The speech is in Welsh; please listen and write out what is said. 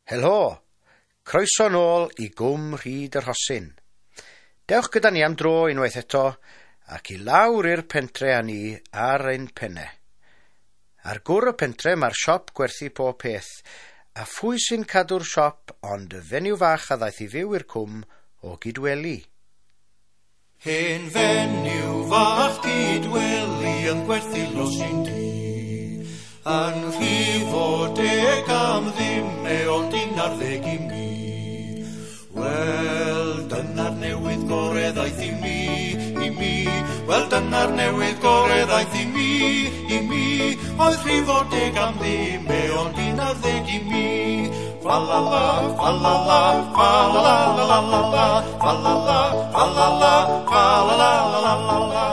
Helo, croeso nôl i Gwm Rhyd y Rhosyn. Dewch gyda ni am dro unwaith eto ac i lawr i'r pentre â ni ar ein penne. Ar gwr y pentre mae'r siop gwerthu pob peth, a phwy sy'n cadw'r siop ond y fenyw fach a ddaeth i fyw i'r cwm o Gydweli. Hen fenyw fach Cydweli yn gwerthu losin du, yn rhifo 10 am ddim e ond 11 i mi. Wel, dyna'r newydd gore ddaeth i mi, i mi. Wel, dyna'r newydd gore ddaeth i mi, i mi. Oedd rhifo 10 am ddim e ond 11 i mi. Fa la la, fa la la, fa la la la la la la, fa la la, fa la la, fa la la la la la la.